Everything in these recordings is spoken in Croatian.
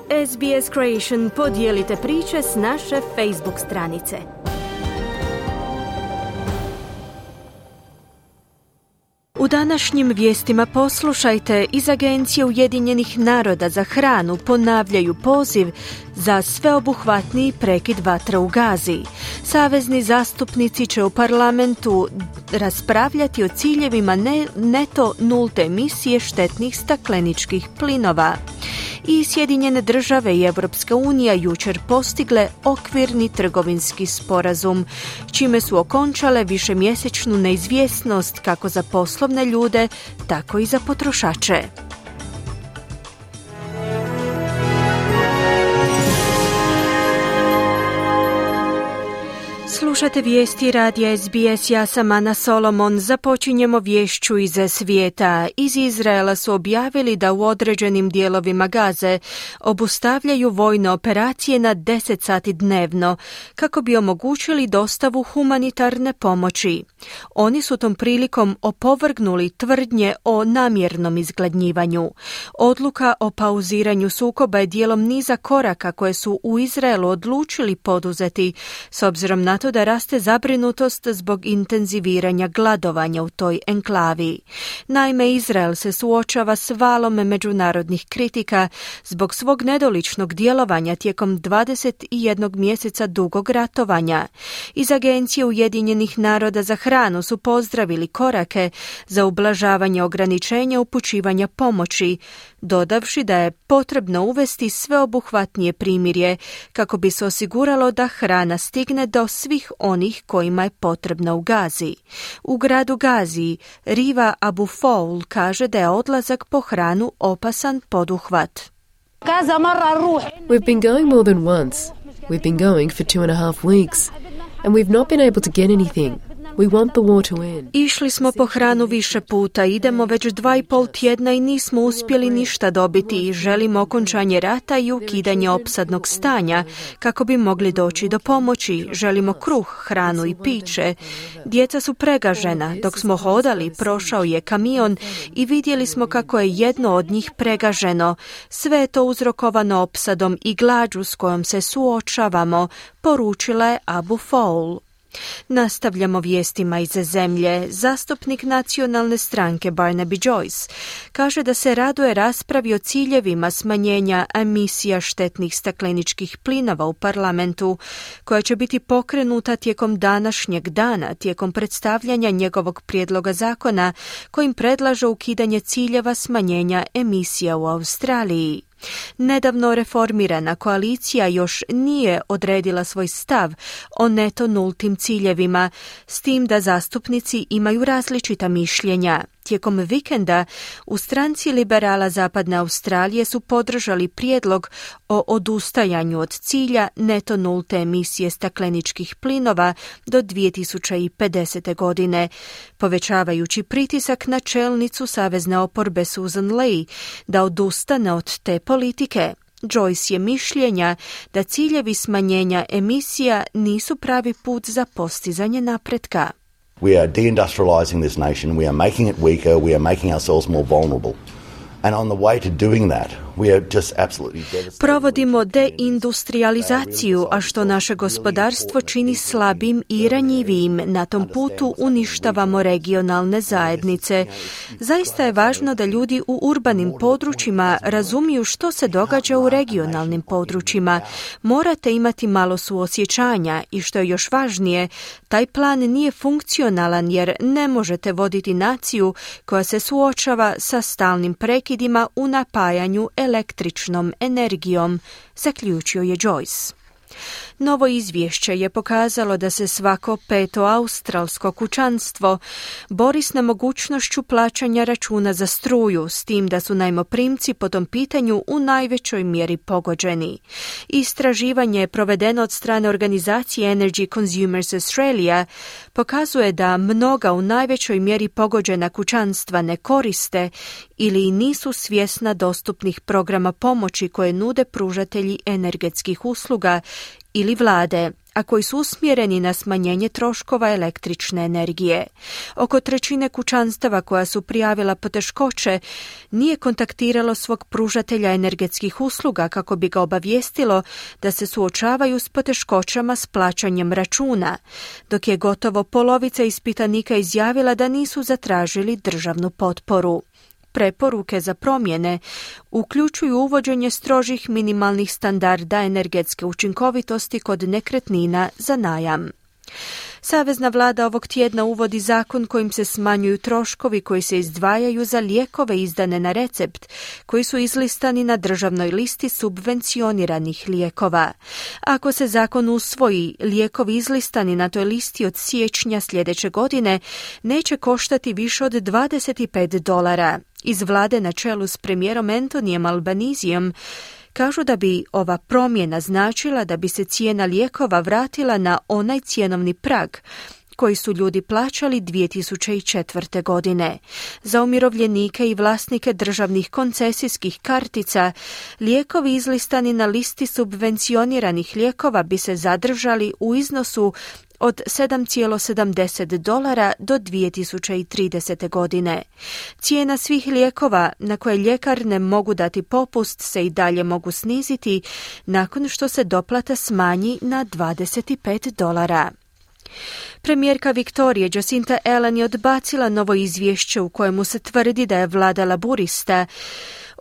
SBS Creation, podijelite priče s naše Facebook stranice. U današnjim vijestima poslušajte, iz Agencije Ujedinjenih naroda za hranu ponavljaju poziv za sveobuhvatniji prekid vatre u Gazi. Savezni zastupnici će u parlamentu raspravljati o ciljevima neto nulte emisije štetnih stakleničkih plinova. I Sjedinjene države i Europska unija jučer postigle okvirni trgovinski sporazum, čime su okončale višemjesečnu neizvjesnost kako za poslovne ljude, tako i za potrošače. Slušate vijesti radija SBS, ja sam Ana Solomon. Započinjemo vješću iz svijeta. Iz Izraela su objavili da u određenim dijelovima Gaze obustavljaju vojne operacije na 10 sati dnevno kako bi omogućili dostavu humanitarne pomoći. Oni su tom prilikom opovrgnuli tvrdnje o namjernom izgladnjivanju. Odluka o pauziranju sukoba je dijelom niza koraka koje su u Izraelu odlučili poduzeti s obzirom na to da raste zabrinutost zbog intenziviranja gladovanja u toj enklavi. Naime, Izrael se suočava s valom međunarodnih kritika zbog svog nedoličnog djelovanja tijekom 21 mjeseca dugog ratovanja. Iz Agencije Ujedinjenih naroda za hranu su pozdravili korake za ublažavanje ograničenja upućivanja pomoći, dodavši da je potrebno uvesti sveobuhvatnije primirje kako bi se osiguralo da hrana stigne do svih onih kojima je potrebna u Gazi. U gradu Gazi Riva Abu Foul kaže da je odlazak po hranu opasan poduhvat. We've been going more than once. We've been going for 2.5 weeks and we've not been able to get anything. We want the war to end. Išli smo po hranu više puta, idemo već 2,5 tjedna i nismo uspjeli ništa dobiti i želimo okončanje rata i ukidanje opsadnog stanja kako bi mogli doći do pomoći. Želimo kruh, hranu i piće. Djeca su pregažena. Dok smo hodali, prošao je kamion i vidjeli smo kako je jedno od njih pregaženo. Sve je to uzrokovano opsadom i glađu s kojom se suočavamo, poručila je Abu Foul. Nastavljamo vijestima iz zemlje. Zastupnik nacionalne stranke Barnaby Joyce kaže da se raduje raspravi o ciljevima smanjenja emisija štetnih stakleničkih plinova u parlamentu, koja će biti pokrenuta tijekom današnjeg dana, tijekom predstavljanja njegovog prijedloga zakona kojim predlaže ukidanje ciljeva smanjenja emisija u Australiji. Nedavno reformirana koalicija još nije odredila svoj stav o neto nultim ciljevima, s tim da zastupnici imaju različita mišljenja. Tijekom vikenda u stranci liberala Zapadne Australije su podržali prijedlog o odustajanju od cilja neto nulte emisije stakleničkih plinova do 2050. godine, povećavajući pritisak na čelnicu savezne oporbe Susan Ley da odustane od te politike. Joyce je mišljenja da ciljevi smanjenja emisija nisu pravi put za postizanje napretka. We are deindustrializing this nation, we are making it weaker, we are making ourselves more vulnerable. And on the way to doing that, we are just absolutely devastated. Provodimo deindustrializaciju, a što naše gospodarstvo čini slabim i ranjivijim. Na tom putu uništavamo regionalne zajednice. Zaista je važno da ljudi u urbanim područjima razumiju što se događa u regionalnim područjima. Morate imati malo suosjećanja i što je još važnije, taj plan nije funkcionalan jer ne možete voditi naciju koja se suočava sa stalnim prekidima u napajanju električnom energijom, zaključio je Joyce. Novo izvješće je pokazalo da se svako 5. australsko kućanstvo bori s nemogućnošću plaćanja računa za struju, s tim da su najmoprimci po tom pitanju u najvećoj mjeri pogođeni. Istraživanje je provedeno od strane organizacije Energy Consumers Australia pokazuje da mnoga u najvećoj mjeri pogođena kućanstva ne koriste ili nisu svjesna dostupnih programa pomoći koje nude pružatelji energetskih usluga ili vlade, a koji su usmjereni na smanjenje troškova električne energije. Oko trećine kućanstava koja su prijavila poteškoće nije kontaktiralo svog pružatelja energetskih usluga kako bi ga obavijestilo da se suočavaju s poteškoćama s plaćanjem računa, dok je gotovo polovica ispitanika izjavila da nisu zatražili državnu potporu. Preporuke za promjene uključuju uvođenje strožih minimalnih standarda energetske učinkovitosti kod nekretnina za najam. Savezna vlada ovog tjedna uvodi zakon kojim se smanjuju troškovi koji se izdvajaju za lijekove izdane na recept, koji su izlistani na državnoj listi subvencioniranih lijekova. Ako se zakon usvoji, lijekovi izlistani na toj listi od siječnja sljedeće godine neće koštati više od $25. Iz vlade na čelu s premijerom Antonijem Albanizijom kažu da bi ova promjena značila da bi se cijena lijekova vratila na onaj cjenovni prag koji su ljudi plaćali 2004. godine. Za umirovljenike i vlasnike državnih koncesijskih kartica, lijekovi izlistani na listi subvencioniranih lijekova bi se zadržali u iznosu od $7,70 do 2030. godine. Cijena svih lijekova na koje ljekarne mogu dati popust se i dalje mogu sniziti nakon što se doplata smanji na $25. Premijerka Viktorije Jacinta Ardern je odbacila novo izvješće u kojemu se tvrdi da je vlada laburista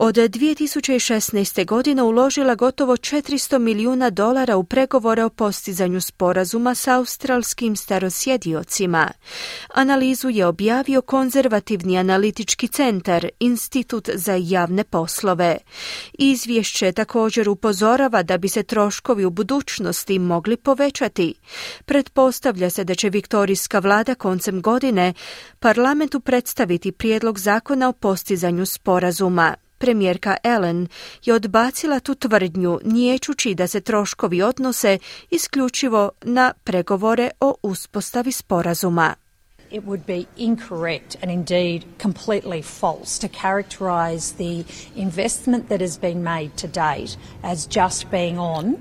od 2016. godine uložila gotovo $400 milijuna u pregovore o postizanju sporazuma s australskim starosjediocima. Analizu je objavio konzervativni analitički centar, Institut za javne poslove. Izvješće također upozorava da bi se troškovi u budućnosti mogli povećati. Pretpostavlja se da će viktorijska vlada koncem godine parlamentu predstaviti prijedlog zakona o postizanju sporazuma. Premijerka Ardern je odbacila tu tvrdnju, niječući da se troškovi odnose isključivo na pregovore o uspostavi sporazuma. It would be incorrect and indeed completely false to characterise the investment that has been made to date as just being on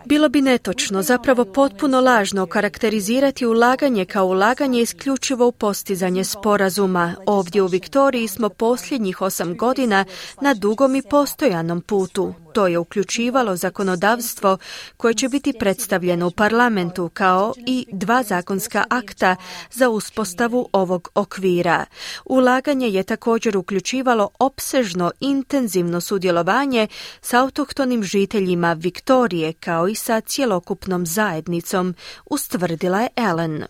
Bilo bi netočno, zapravo potpuno lažno karakterizirati ulaganje kao ulaganje isključivo u postizanje sporazuma. Ovdje u Viktoriji smo posljednjih 8 godina na dugom i postojanom putu. To je uključivalo zakonodavstvo koje će biti predstavljeno u parlamentu kao i 2 zakonska akta za uspostavu ovog okvira. Ulaganje je također uključivalo opsežno intenzivno sudjelovanje s autohtonim žiteljima Viktorije kao i sa cjelokupnom zajednicom, ustvrdila je Ardern.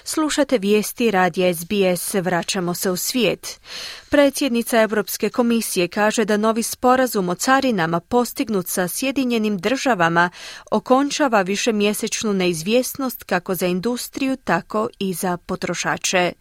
Slušate vijesti radija SBS, vraćamo se u svijet. Predsjednica Europske komisije kaže da novi sporazum o carinama postignut sa Sjedinjenim državama okončava višemjesečnu neizvjesnost kako za industriju, tako i za potrošače.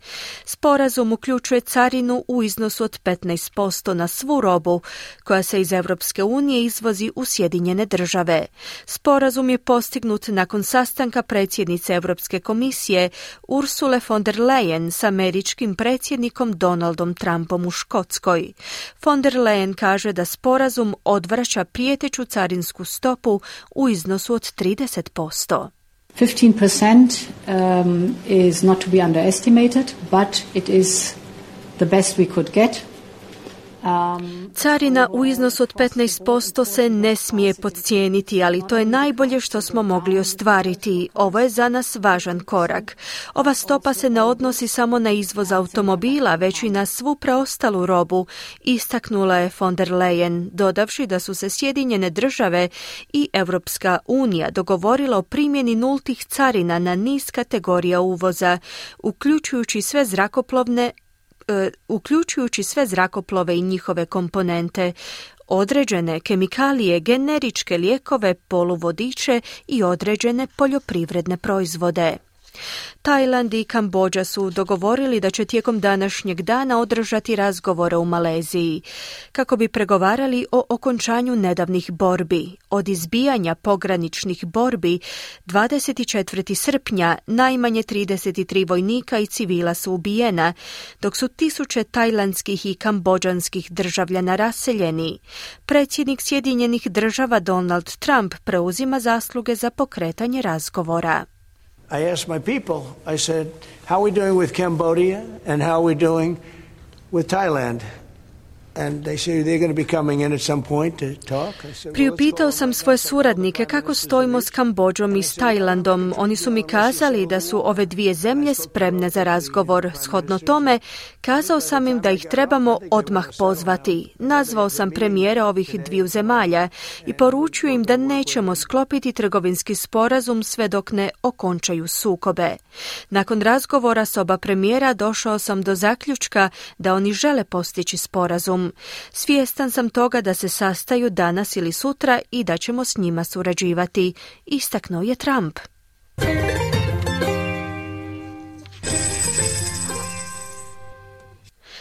Sporazum uključuje carinu u iznosu od 15% na svu robu koja se iz Europske unije izvozi u Sjedinjene države. Sporazum je postignut nakon sastanka predsjednice Europske komisije Ursule von der Leyen s američkim predsjednikom Donaldom Trumpom u Škotskoj. Von der Leyen kaže da sporazum odvraća prijeteću carinsku stopu u iznosu od 30%. 15% is not to be underestimated, but it is the best we could get. Carina u iznosu od 15% se ne smije podcijeniti, ali to je najbolje što smo mogli ostvariti. Ovo je za nas važan korak. Ova stopa se ne odnosi samo na izvoz automobila, već i na svu preostalu robu, istaknula je von der Leyen, dodavši da su se Sjedinjene države i Europska unija dogovorila o primjeni nultih carina na niz kategorija uvoza, uključujući sve zrakoplove i njihove komponente, određene kemikalije, generičke lijekove, poluvodiče i određene poljoprivredne proizvode. Tajland i Kambodža su dogovorili da će tijekom današnjeg dana održati razgovore u Maleziji, kako bi pregovarali o okončanju nedavnih borbi. Od izbijanja pograničnih borbi 24. srpnja najmanje 33 vojnika i civila su ubijena, dok su tisuće tajlandskih i kambodžanskih državljana raseljeni. Predsjednik Sjedinjenih Država Donald Trump preuzima zasluge za pokretanje razgovora. I asked my people, I said, how are we doing with Cambodia and how are we doing with Thailand? And they say they're going to be coming in at some point to talk. Priupitao sam svoje suradnike kako stojimo s Kambodžom i s Tajlandom. Oni su mi kazali da su ove dvije zemlje spremne za razgovor. Shodno tome, kazao sam im da ih trebamo odmah pozvati. Nazvao sam premijera ovih dviju zemalja i poručio im da nećemo sklopiti trgovinski sporazum sve dok ne okončaju sukobe. Nakon razgovora s oba premijera došao sam do zaključka da oni žele postići sporazum. Svjestan sam toga da se sastaju danas ili sutra i da ćemo s njima surađivati, istaknuo je Trump.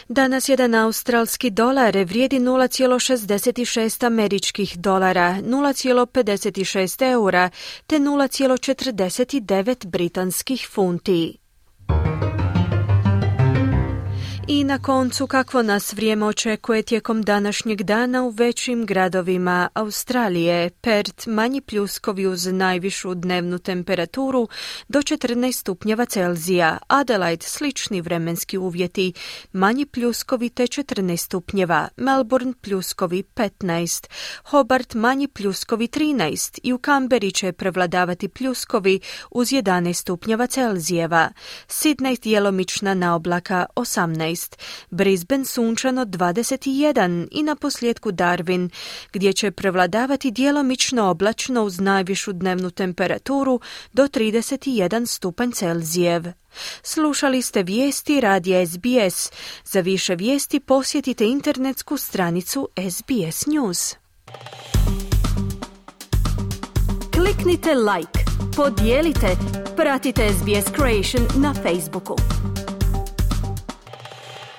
Danas jedan australski dolar vrijedi 0,66 američkih dolara, 0,56 eura te 0,49 britanskih funti. I na koncu, kakvo nas vrijeme očekuje tijekom današnjeg dana u većim gradovima Australije. Perth manji pljuskovi uz najvišu dnevnu temperaturu do 14 stupnjeva Celzija. Adelaide slični vremenski uvjeti, manji pljuskovi te 14 stupnjeva. Melbourne pljuskovi 15. Hobart manji pljuskovi 13. I u Kamberi će prevladavati pljuskovi uz 11 stupnjeva Celzijeva. Sydney djelomična naoblaka 18. Brisbane sunčano 21 i na posljedku Darwin, gdje će prevladavati djelomično oblačno uz najvišu dnevnu temperaturu do 31 stupanj Celzijev. Slušali ste vijesti radija SBS. Za više vijesti posjetite internetsku stranicu SBS News. Kliknite like, podijelite, pratite SBS Creation na Facebooku.